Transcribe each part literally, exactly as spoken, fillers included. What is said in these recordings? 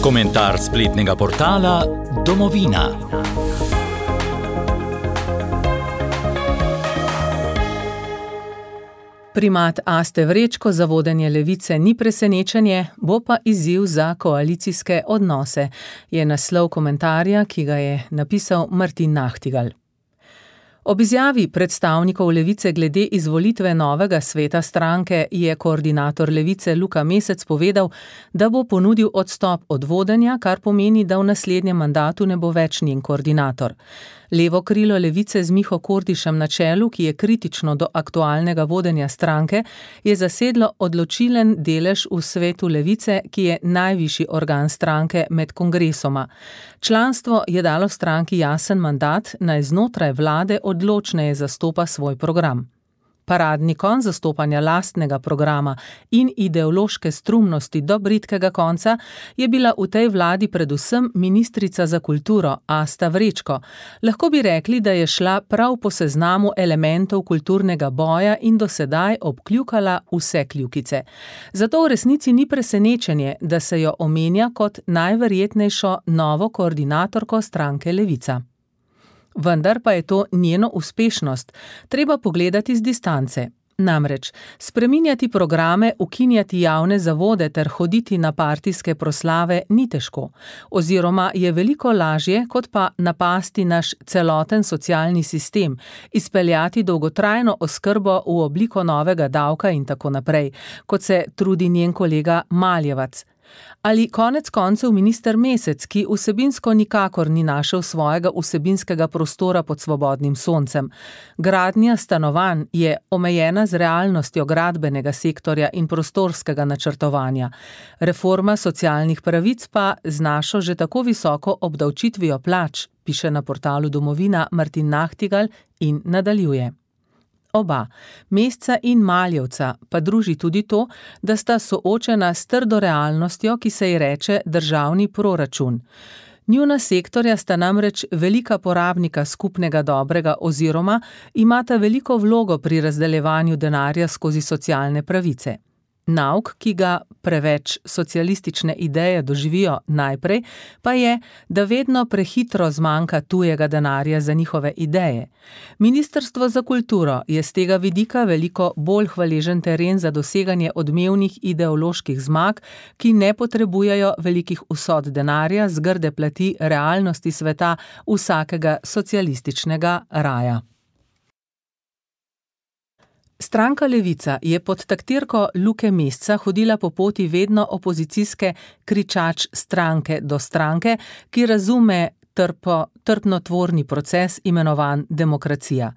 Komentar spletnega portala Domovina. Primat Aste Vrečko za vodenje Levice ni presenečenje, bo pa izziv za koalicijske odnose, je naslov komentarja, ki ga je napisal Martin Nahtigal. Ob izjavi predstavnikov Levice glede izvolitve novega sveta stranke je koordinator Levice Luka Mesec povedal, da bo ponudil odstop od vodenja, kar pomeni, da v naslednjem mandatu ne bo več njen koordinator. Levo krilo Levice z Miho Kordišem na čelu, ki je kritično do aktualnega vodenja stranke, je zasedlo odločilen delež v svetu Levice, ki je najvišji organ stranke med kongresoma. Članstvo je dalo stranki jasen mandat, naj znotraj vlade odločneje zastopa svoj program. Paradni konj zastopanja lastnega programa in ideološke strumnosti do bridkega konca je bila v tej vladi predvsem ministrica za kulturo Asta Vrečko. Lahko bi rekli, da je šla prav po seznamu elementov kulturnega boja in do sedaj obkljukala vse kljukice. Zato v resnici ni presenečenje, da se jo omenja kot najverjetnejšo novo koordinatorko stranke Levica. Vendar pa je to njeno uspešnost treba pogledati z distance. Namreč, spreminjati programe, ukinjati javne zavode ter hoditi na partijske proslave ni težko, oziroma je veliko lažje, kot pa napasti naš celoten socialni sistem, izpeljati dolgotrajno oskrbo v obliko novega davka in tako naprej, kot se trudi njen kolega Maljevac. Ali konec koncev minister Mesec, ki vsebinsko nikakor ni našel svojega vsebinskega prostora pod svobodnim soncem. Gradnja stanovanj je omejena z realnostjo gradbenega sektorja in prostorskega načrtovanja. Reforma socialnih pravic pa z našo že tako visoko obdavčitvijo plač, piše na portalu Domovina Martin Nahtigal in nadaljuje. Oba, Mesca in Maljevca, pa druži tudi to, da sta soočena s trdo realnostjo, ki se ji reče državni proračun. Njuna sektorja sta namreč velika porabnika skupnega dobrega oziroma imata veliko vlogo pri razdeljevanju denarja skozi socialne pravice. Nauk, ki ga preveč socialistične ideje doživijo najprej, pa je, da vedno prehitro zmanjka tujega denarja za njihove ideje. Ministrstvo za kulturo je z tega vidika veliko bolj hvaležen teren za doseganje odmevnih ideoloških zmag, ki ne potrebujejo velikih vsot denarja z grde plati realnosti sveta vsakega socialističnega raja. Stranka Levica je pod taktirko Luke Mesca hodila po poti vedno opozicijske kričač stranke do stranke, ki razume trpo, trpnotvorni proces imenovan demokracija.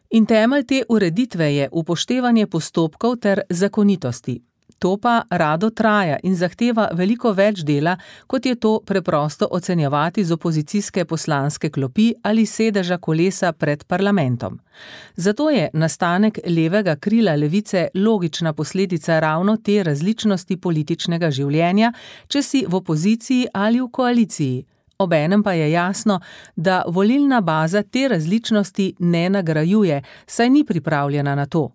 In temelj te ureditve je upoštevanje postopkov ter zakonitosti. To pa rado traja in zahteva veliko več dela, kot je to preprosto ocenjevati z opozicijske poslanske klopi ali sedeža kolesa pred parlamentom. Zato je nastanek levega krila Levice logična posledica ravno te različnosti političnega življenja, če si v opoziciji ali v koaliciji. Obenem pa je jasno, da volilna baza te različnosti ne nagrajuje, saj ni pripravljena na to.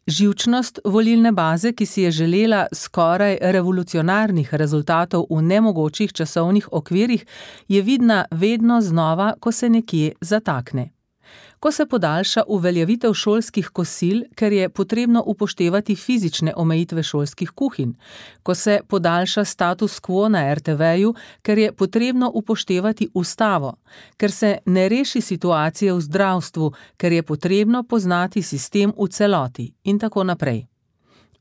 Živčnost volilne baze, ki si je želela skoraj revolucionarnih rezultatov v nemogočih časovnih okvirih, je vidna vedno znova, ko se nekje zatakne. Ko se podaljša uveljavitev šolskih kosil, ker je potrebno upoštevati fizične omejitve šolskih kuhinj, ko se podaljša status quo na er te veju, ker je potrebno upoštevati ustavo, ker se ne reši situacije v zdravstvu, ker je potrebno poznati sistem v celoti in tako naprej.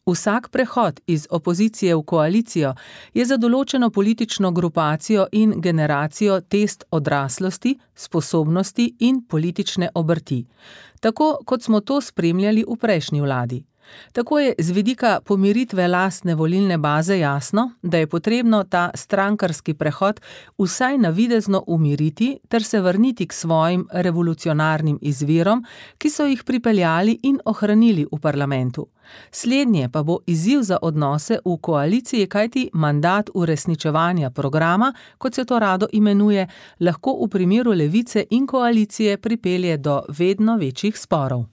Vsak prehod iz opozicije v koalicijo je za določeno politično grupacijo in generacijo test odraslosti, sposobnosti in politične obrti, tako kot smo to spremljali v prejšnji vladi. Tako je z vidika pomiritve lastne volilne baze jasno, da je potrebno ta strankarski prehod vsaj navidezno umiriti ter se vrniti k svojim revolucionarnim izvirom, ki so jih pripeljali in ohranili v parlamentu. Slednje pa bo izziv za odnose v koaliciji, kajti mandat uresničevanja programa, kot se to rado imenuje, lahko v primeru Levice in koalicije pripelje do vedno večjih sporov.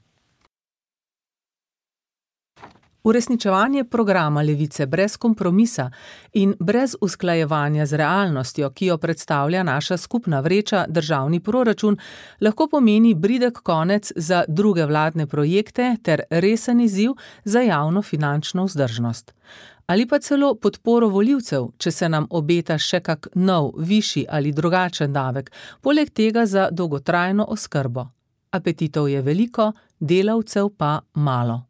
Uresničevanje programa Levice brez kompromisa in brez usklajevanja z realnostjo, ki jo predstavlja naša skupna vreča, državni proračun, lahko pomeni bridek konec za druge vladne projekte ter resen izziv za javno finančno vzdržnost. Ali pa celo podporo volivcev, če se nam obeta še kak nov, višji ali drugačen davek, poleg tega za dolgotrajno oskrbo. Apetitov je veliko, delavcev pa malo.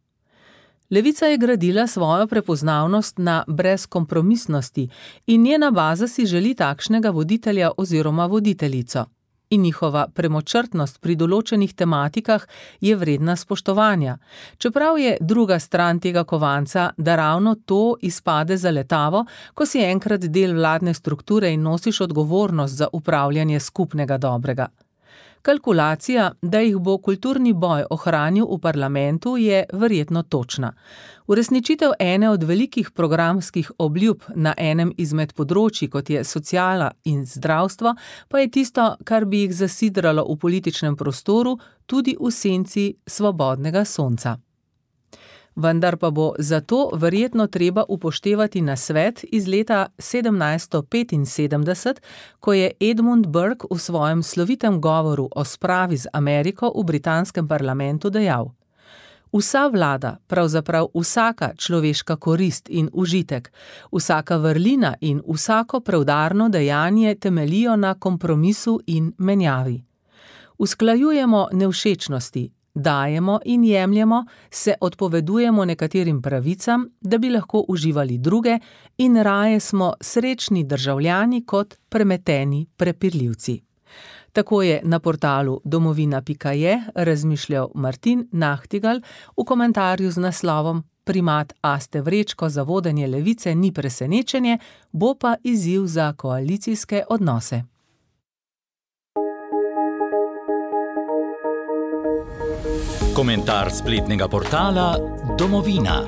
Levica je gradila svojo prepoznavnost na brezkompromisnosti in njena baza si želi takšnega voditelja oziroma voditeljico. In njihova premočrtnost pri določenih tematikah je vredna spoštovanja. Čeprav je druga stran tega kovanca, da ravno to izpade zaletavo, ko si enkrat del vladne strukture in nosiš odgovornost za upravljanje skupnega dobrega. Kalkulacija, da jih bo kulturni boj ohranil v parlamentu, je verjetno točna. Uresničitev ene od velikih programskih obljub na enem izmed področji, kot je sociala in zdravstvo, pa je tisto, kar bi jih zasidralo v političnem prostoru, tudi v senci svobodnega sonca. Vendar pa bo zato verjetno treba upoštevati nasvet iz leta sedemnajststo petinsedemdeset, ko je Edmund Burke v svojem slovitem govoru o spravi z Ameriko v britanskem parlamentu dejal: Vsa vlada, pravzaprav vsaka človeška korist in užitek, vsaka vrlina in vsako preudarno dejanje temeljijo na kompromisu in menjavi. Usklajujemo nevšečnosti, dajemo in jemljemo, se odpovedujemo nekaterim pravicam, da bi lahko uživali druge, in raje smo srečni državljani kot premeteni prepirljivci. Tako je na portalu domovina pika je razmišljal Martin Nachtigal v komentarju z naslovom Primat Aste Vrečko za vodenje Levice ni presenečenje, bo pa izziv za koalicijske odnose. Komentar spletnega portala Domovina.